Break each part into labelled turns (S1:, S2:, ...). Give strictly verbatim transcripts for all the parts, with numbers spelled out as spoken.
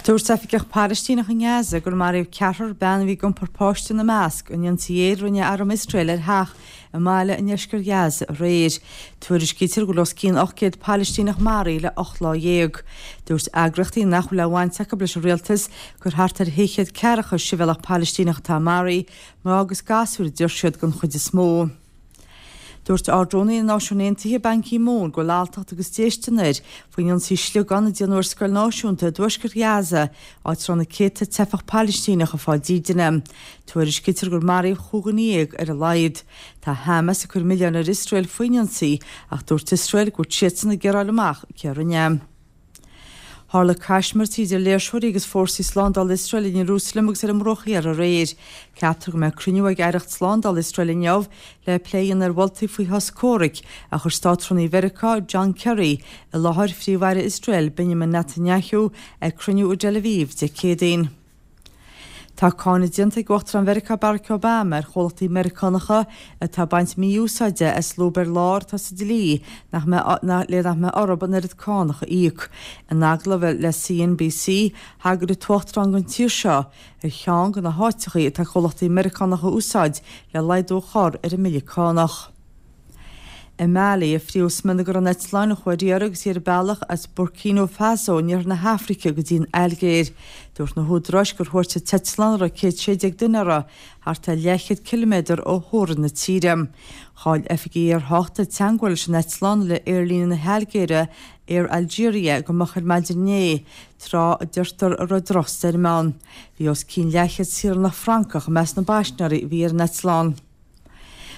S1: Dúirt oifigeach Palaistíneach i nGaza gur maraíodh ceathrar bean a bhí ag iompar páiste ina measc in ionsaí aeir a rinne arm Iosrael ar theach i mbaile i ndeisceart Ghaza aréir. Tuairiscítear go bhfuil os cionn ocht gcéad Palaistíneach maraithe le ocht lá dhéag. Dúirt eagraíochtaí nach bhfuil aon bhaint acu leis an rialtas gur thart ar shé chéad ceathracha sibhialtach Palaistíneach atá maraithe, mná agus gasúir a deir siad den chuid is mó. Dúirt Ard-Rúnaí na Náisiún Aontaithe Ban Ki-moon go bhfuil alltacht agus déistin air faoin ionsaí sliogán a déanadh ar scoil náisiúnta i dtuaisceart Ghaza, áit a raibh na céadta teifeach Palaistíneach ag fáil dídine. Tuairiscítear gur maraíodh chúig dhuine dhéag ar a laghad. Tá Hamas ag cur milleáin ar Iosrael faoin ionsaí ach dúirt Iosrael go bhfuil siadsan ag iarraidh a fháil amach cé a rinne é. Tharla caismirtí idir léirseoirí agus fórsaí slándála Iosrael in Iarúsailéim agus ar an mBruach Thiar aréir. Ceaptar go mbeidh cruinniú ag Aireacht Slándála Iosrael inniu le plé a dhéanamh ar mholtaí faoi shos comhraic a chuir Státrúnaí Mheiriceá, John Kerry, i láthair Phríomh-Aire Iosrael, Benjamin Netanyahu, ag cruinniú i dTel Aviv Dé Céadaoin. Tá cáineadh déanta ag Uachtarán Mheiriceá Barack Obama ar chomhlachtaí Meiriceánacha atá ag baint mí-úsáide as lúb ar lár atá sa dlí nach mbeidh le nach mbeidh orthu an oiread cánach a íoc. In agallamh le C N B C, thagair an tUachtarán don tír seo ar cheann de na háiteachaí atá comhlachtaí Meiriceánacha a úsáid le laghdú a chur ar an mbille cánach. I Mali a fríothadh smionagar an eitleáin a chuaigh ar iarraidh agus í ar a bealach as Burkina Faso in iarthar na hAfraice go dtí an Ailgéir. Dúirt na húdaráis gur thuairt an t-eitleán a raibh céad sé déag duine uirthi thart ar leathchéad ciliméadar ó theorainn na tíre. Chaill oifigigh aertháchta teagmháil leis an eitleán le aerlíne na hAilgéire Air Algeria go moch ar maidin inné, tráth a deirtear a raibh drochstoirm ann. Bhí os cionn leathchéad saoránach Francach i measc na bpaisinéirí a bhí ar an eitleán.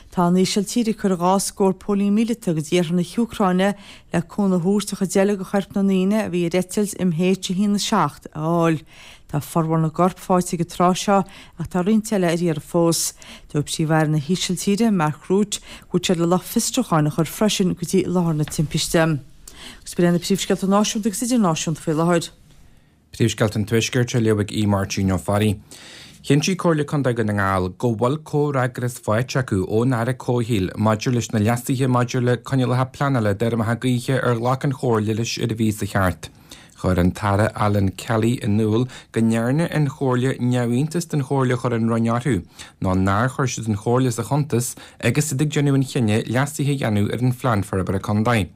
S1: Tá an Ísiltír ag cur dhá scór póilín míleata go dtí iarthar na hÚcráine le cúnamh a thabhairt an chuid eile de choirp na ndaoine a bhí ar eitilt M H a haon a seacht a fháil. Tá formhór na gcorp faighte ag an tráth seo ach tá roinnt eile ar iarraidh fós. Dúirt Príomh-Aire na hÍsiltíre, Mark Rutte, go bhfuil siad le lucht fiosrúcháin a chur freisin go dtí láthair na timpiste. Agus b'in na príomhscéalta náisiúnta agus idirnáisiúnta faoi láthair.
S2: Príomhscéalta an Tuaiscirt á léamh ag í Máirtín Ó Fearraigh. Chinntigh Comhairle Contae Dhún na nGall go bhfuil comhfhreagras faighte acu ón Aire Comhshaoil maidir leis na leasuithe maidir le coinníollacha pleanála d'fheirmeacha gaoithe ar ghlac an Chomhairle leis ar an mhí seo chaite. Chuir an tAire Alan Kelly in iúl go ndearna an Chomhairle neamhiontas den chomhairle a chuir an Roinn orthu, ná nár chuir siad an Chomhairle sa chuntas agus iad ag déanamh an chinnidh leasuithe a dhéanamh ar an phlean forbartha contae.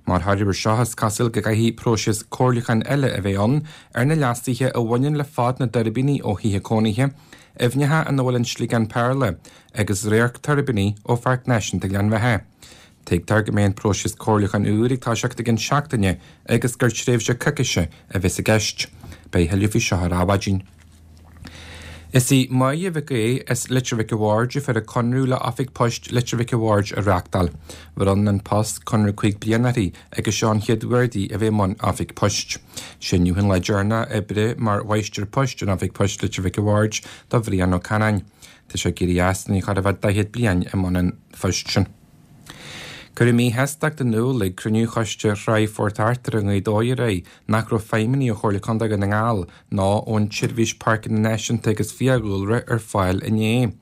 S2: Mar thoradh seo is cosúil go gcaithfidh próiseas comhairliúcháin eile a bheith ann ar na leasuithe a bhaineann le fad na dtuirbíní ó thithe cónaithe, aibhneacha ina bhfuil an sliogán péarla agus radharc tuirbíní ó Pháirc Náisiúnta Ghleann Bheatha. Tuigtear go mbeidh an próiseas comhairliúcháin úr ag toiseacht i gceann seachtaine agus gur tréimhse coicíse a bheas i gceist. Beidh tuilleadh faoi seo ar Adhmhaidin. Is í Máire Mhic Aodha as Leitir Mhic a' Bhaird a fuair an conradh le Oifig Poist Leitir Mhic a' Bhaird a reáchtáil. Bhronn An Post conradh cúig bliana uirthi agus seo an chéad uair di a bheith i mbun Oifig Poist. Sé inniu an lá deireanach oibre mar mháistir poist in Oifig Poist Leitir Mhic a' Bhaird do Bhrian Ó Canáin. Tá sé ag éirí as i ndiaidh chóir a bheith daichead bliain i mbun an phoist sin. Cuireadh míshástacht in iúl ag cruinniú choiste Thráigh Phort Arthur i nGaoth Dobhair aréir nach raibh feidhmeannaigh ó Chomhairle Contae Dhún na nGall ná ón tSeirbhís Páirceanna Náisiúnta agus Fiadhúlra ar fáil inné.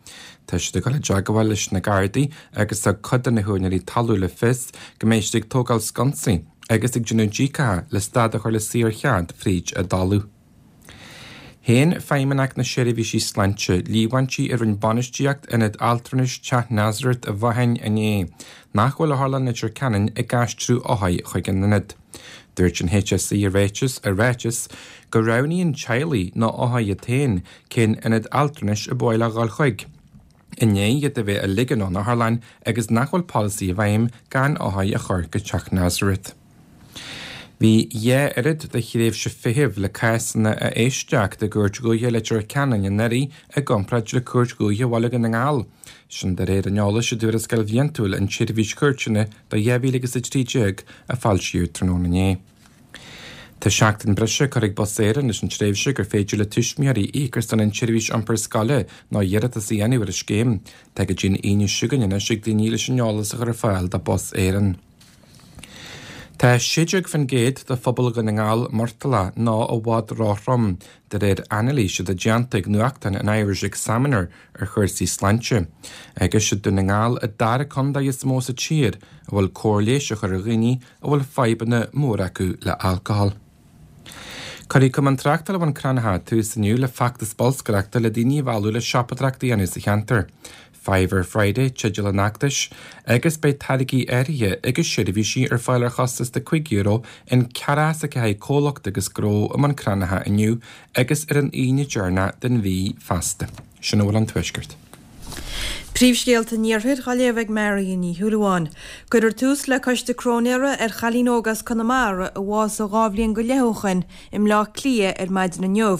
S2: Tá siad ag dul i dteagmháil leis na Gardaí agus thug cuid de na húinéirí talún le fios go mbeidh siad ag tógáil sconsaí agus ag déanamh díocacha le stad a chur le saorchead fríd a dtalamh. Shéan Feidhmeannacht na Seirbhísí Sláinte líomhaintí a rinne bainistíocht ionad altranais Teach Nazareth i bhFathain inné, nach bhfuil otharlann Leitir Ceanainn ag aistriú othair chuig an ionad. Dúirt an H S E i ráiteas i ráiteas go roghnaíonn teaghlaigh nó othair iad féin cén ionad altranais ab áil a dhul chuig. I ndiaidh iad a bheith á ligean ón otharlann agus nach bhfuil polasaí i bhfeidhm gan othair a chur go Teach Nazareth. Bhí dhá oiread de thréimhse feithimh le cásanna a éisteacht i gCúirt Dhúiche Leitir Ceanainn anuraidh i gcomparáid le Cúirt Dhúiche Bhaile Dhún na nGall. Sin de réir an eolais i dtuarascáil bhliantúil an tSeirbhís Chúirteanna do dhá mhíle agus a trí déag a foilsíodh tráthnóna inné. Tá seachtain breise curtha ag Bus Éireann leis an tréimhse gur féidir le tuismitheoirí íoc ar son an tseirbhís iompair scoile nó iarratas a dhéanamh ar an scéim. Tá go dtí an Aoine seo chugainn anois ag daoine leis an eolas a chur ar fáil do Bus Éireann. Tá sé déag faoin gcéad de phobal Dhún na nGall murtallach nó i bhfad róthrom de réir anailíse atá déanta ag nuachtán an Irish Examiner ar chúrsaí sláinte. Agus is é Dún na nGall an dara contae is mó sa tír a bhfuil cóir leighis á cur ar dhaoine a bhfuil fadhbanna móra acu le alcohol. Cuirfidh Cumann Tráchtála Bhun Cranncha tús inniu le feachtas bolscaireachta le daoine a mhealladh le siopadóireacht a dhéanamh sa cheantar. Fiver Friday teideal an fheachtais agus beidh táirgí áirithe agus seirbhísí ar fáil ar chostas de cúig euro in ceathracha is a ceathair comhlacht agus gnó i mBun Cranncha inniu agus ar an Aoine deireanach den mhí feasta. Sin a bhfuil ón Tuaisceart.
S3: Príomhscéalta an Iarthair á léamh ag Marion Ní Shúilleabháin. Cuirfear tús le coiste cróinéara ar chailín óg as Conamara a bhásaigh dhá bhliain go leith ó shin i mBleá Cliath ar maidin inniu.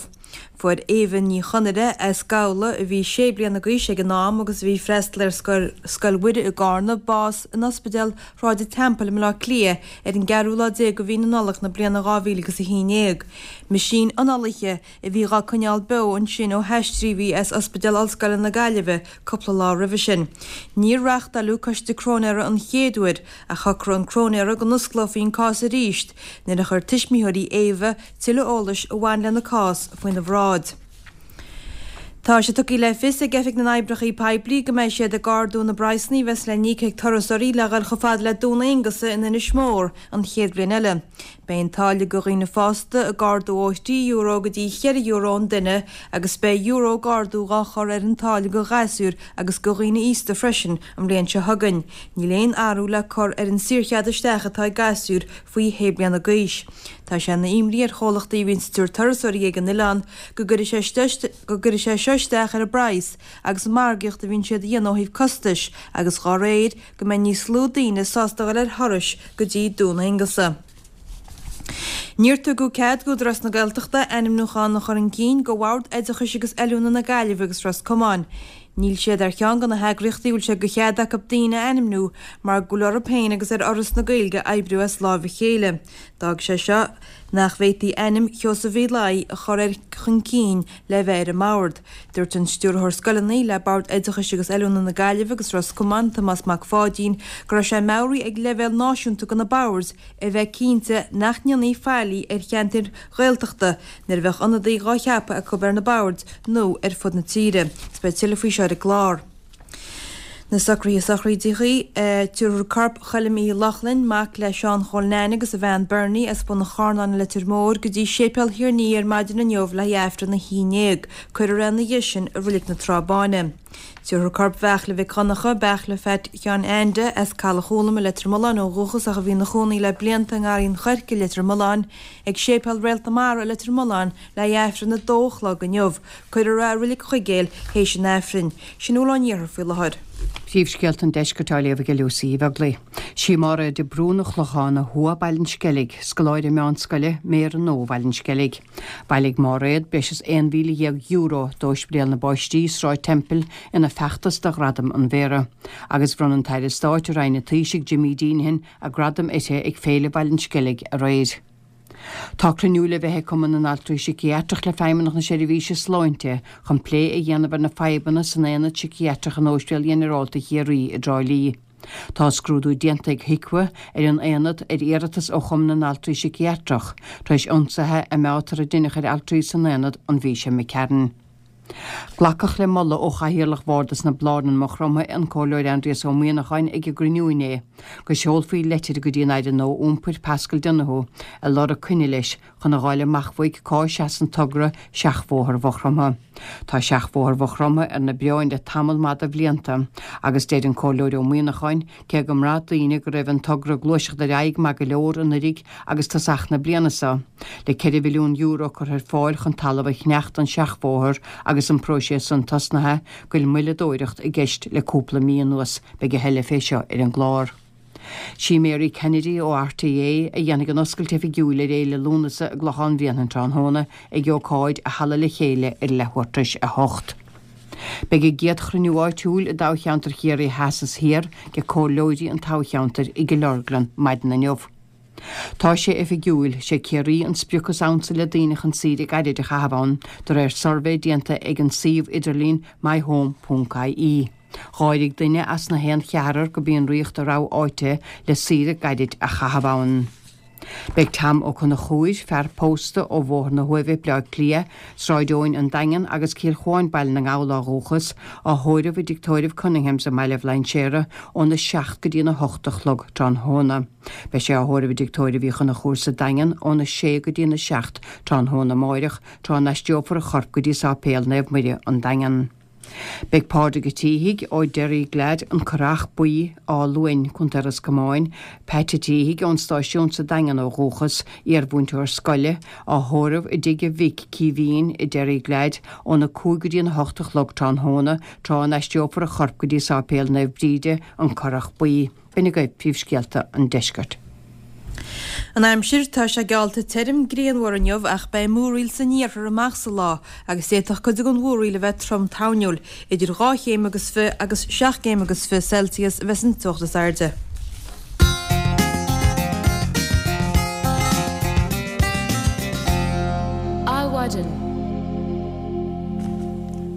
S3: Fuair Éabha Ní Chonaire as Gabhla a bhí sé bliana d'aois ag an am agus a bhí ag freastal ar Scoil Mhuire i gCarna bás in Ospidéal Shráid an Teampaill i mBleá Cliath ar an gceathrú lá déag de mhí na Nollag na bliana dhá mhíle agus a haon déag. Meaisín análaithe a bhí dhá coinneáil beo ansin ó haistríodh í as Ospidéal Ollscoile na Gaillimhe cúpla lá roimhe sin. Níor reáchtáileadh coiste cróinéara an chéad uair ach shocraigh an cróinéara go n-osclófaí an cás arís nuair a chuir tuismitheoirí Éabha tuilleadh eolais a bhain lena cás faoina bhráid. Tá sé tugtha le fios ag Oifig na nOibreacha Poiblí go mbeidh siad ag ardú na bpraghsanna a bheas le n-íoc ag turasóirí le dhul chomh fada le Dún Aonghasa in Inis Mór an chéad bhliain eile. Beidh an táille do dhaoine fásta ag ardú ó thrí euro go dtí cheithre euro an duine agus beidh euro d'ardú dhá chur ar an táille do ghasúir agus do dhaoine aosta freisin an bhliain seo chugainn. Níl aon athrú le cur ar an saorchead isteach atá ag gasúir faoi shé bliana d'aois. Tá sé ina imní ar chomhlachtaí a bhíonn ag tabhairt turasóirí ag an oileán go gcuirfidh sé seo isteach ar an bpraghas agus an margaíocht a bhíonn siad a dhéanamh ó thaobh costais agus dá réir go mbeidh níos lú daoine sásta dul ar thurais go dtí Dún Aonghasa. Níor tugadh cead d'Údarás na Gaeltachta ainmniúchán a chur chun cinn do Bhord Oideachais agus Oiliúna na Gaillimhe agus Ros Comáin. Níl siad ar cheann de na heagraíochtaí a bhfuil sé de chead acu daoine a ainmniú mar go bhfuil orthu féin agus ar Fhoras na Gaeilge oibriú as láimh a chéile. D'fhág sé seo nach bhféadfaí ainm Sheosaimh Uí Laoi a chur ar chun cinn le bheith ar an mbord. Dúirt an Stiúrthóir Scoileanna le Bord Oideachais agus Oiliúna na Gaillimhe agus Ros Comáin, Tomás Mac Pháidín, go raibh sé meabhraithe ag leibhéal náisiúnta de na boird a bheith cinnte nach ndéanfaí faillí ar cheantair Ghaeltachta nuair a bheadh ionadaí dhá cheapadh acu ar na boird nó ar fud na tíre. Is beidh tuilleadh faoi seo ar an gclár. Na socruithe sochraide, tabharfar corp Choilm Uí Lochlainn, mac le Seán Chóil Neain agus a bhean Bernie as Bun an Charnáin i Leitir Móir, go dtí Séipéal Thír an Fhia ar maidin inniu le haghaidh Aifreann a haon déag. Cuirfear é ina dhiaidh sin i Reilig na Trá Báine. Tabharfar corp Bheartla Mhic Dhonncha, Beartla Pheait Sheáin Ainde, as Caladh Chúlaim i Leitir Mealláin ó dhúchas ach a bhí ina chónaí le blianta i nGarraí an Choirce i Leitir Mealláin, ag Séipéal Réalt na Mara i Leitir Mealláin le haghaidh Aifreann a dó a chlog inniu. Cuirfear é i Reilig Chuigéil théis an Aifrinn. Sin a bhfuil ón iarthar faoi láthair.
S4: Príomhscéalta an Deiscirt á léamh ag Lucy Uí Bheaglaoich. Sí Máiréad de Brún Ó Clocháin ó Thuath Baile an Sceilg, scoláire meánscoile, Méara nua Bhaile an Sceilg. Bhailigh Máiréad breis is aon mhíle dhéag euro d'Ospidéal na bPáistí, Sráid Temple, ina feachtas do Ghradam an Mhéara. Agus bhronn an tAire Stáit i Roinn an Taoisigh Jimmy Deenihan a gradam uirthi ag Féile Bhaile an Sceilg aréir. Tá cruinniú le bheith ag Cumann na nAltraí Síciatrach le Feidhmeannacht na Seirbhíse Sláinte chun plé a dhéanamh ar na fadhbanna san aonad síciatrach in Ospidéal Ghinearálta Chiarraí i dTrá Lí. Tá scrúdú déanta ag HIQA ar an aonad ar iarratas ó Chumann na nAltraí Síciatrach tar éis ionsaithe a meátar a deineadh ar altraí san aonad an mhí seo imigh tharainn. Glacadh le moladh ó Chathaoirleach Bhardas na Blarnan Maigh Chromtha, an Comhairleoir Aindrias Ó Muíneacháin ag an gcruinniú inné, go seolfaí leitir go dtí an Aire nua Iompair Paschal Donohoe ag lorg coinne leis chun a dh'fháil amach uaidh cá seasann togra Seachbhóthar Mhaigh Chromtha. Tá Seachbhóthar Mhaigh Chromtha ar na bioráin le tamall maith de bhlianta agus deir an Comhairleoir Ó Muíneacháin cé go mbraith daoine go raibh an togra ag gluaiseacht ar aghaidh maith go leor anuraidh agus tosach na bliana seo, le ceithre mhilliún euro curtha ar fáil chun talamh a cheannach don seachbhóthar agus an próiseas san tosnaithe, go bhfuil moilleadóireacht i gceist le cúpla mí anuas. Beidh a thuilleadh fé seo ar an gclár. Sí Mary Kennedy ó RTÉ a dhéanfaidh an oscailt oifigiúil ar Fhéile Lúnasa i gClochán Bhréanainn tráthnóna ag ócáid i Halla Le Chéile ar leathuair tar éis a hocht. Beidh a gcéad chruinniú áitiúil i dtoghcheantar Chiarraí Theas is Thiar de comhairleoirí an toghcheantair i gCill Orglan maidin inniu. Tá sé oifigiúil, sé Ciarraí an sprioc is ansa le daoine chun saoire gairid a chaitheamh ann, de réir suirbhé déanta ag an suíomh idirlín myhome ponc ie. Dháirigh duine as na haon cheathrar gurb í an Ríocht a rogha áite le saoire gairid a chaitheamh ann. Beidh Tom Ó Conchúir, fear pósta ó Bhóthar na hUaimhe, Bleá Cliath, Sráid Eoin, An Daingean agus Cill Chuáin, Baile na nGall ó dhúchas, á thórramh i dTigh Tórraimh Cunninghams i mBaile Bhlainséara óna seacht go dtína hocht a chlog tráthnóna. Beidh sé á thórramh i dTigh Tórraimh Uí Chonchúir sa Daingean óna sé go dtína seacht tráthnóna amáireach, tráth a n-aistreofar a chorp go dtí Sáipéal Naomh Muire, An Daingean. Beidh Pádraig Ó Títhigh ó Derryglad, An Currach Buí, Áth Luain, Contae Ros Comáin, Pat Ó Títhigh ón stáisiún sa Daingean ó dhúchas, iarmhúinteoir scoile, á thórramh i dtigh a mhic, Caoimhín, i Derryglad, óna cúig go dtí an hocht a chlog tráthnóna, tráth a n-aistreofar a chorp go dtí Sáipéal Naomh Bríde, An Currach Buí. B'in agaibh príomhscéalta an deiscirt.
S3: An aimsir, Tá sé geallta tirim grianmhar inniu ach beidh múraíl san iarthar amach sa lá agus d'fhéadfadh cuid den mhúraíl a bheith trom toirniúil. Idir dhá chéim agus fiche agus seacht gcéim agus fiche Celsius a bheas an teocht is airde.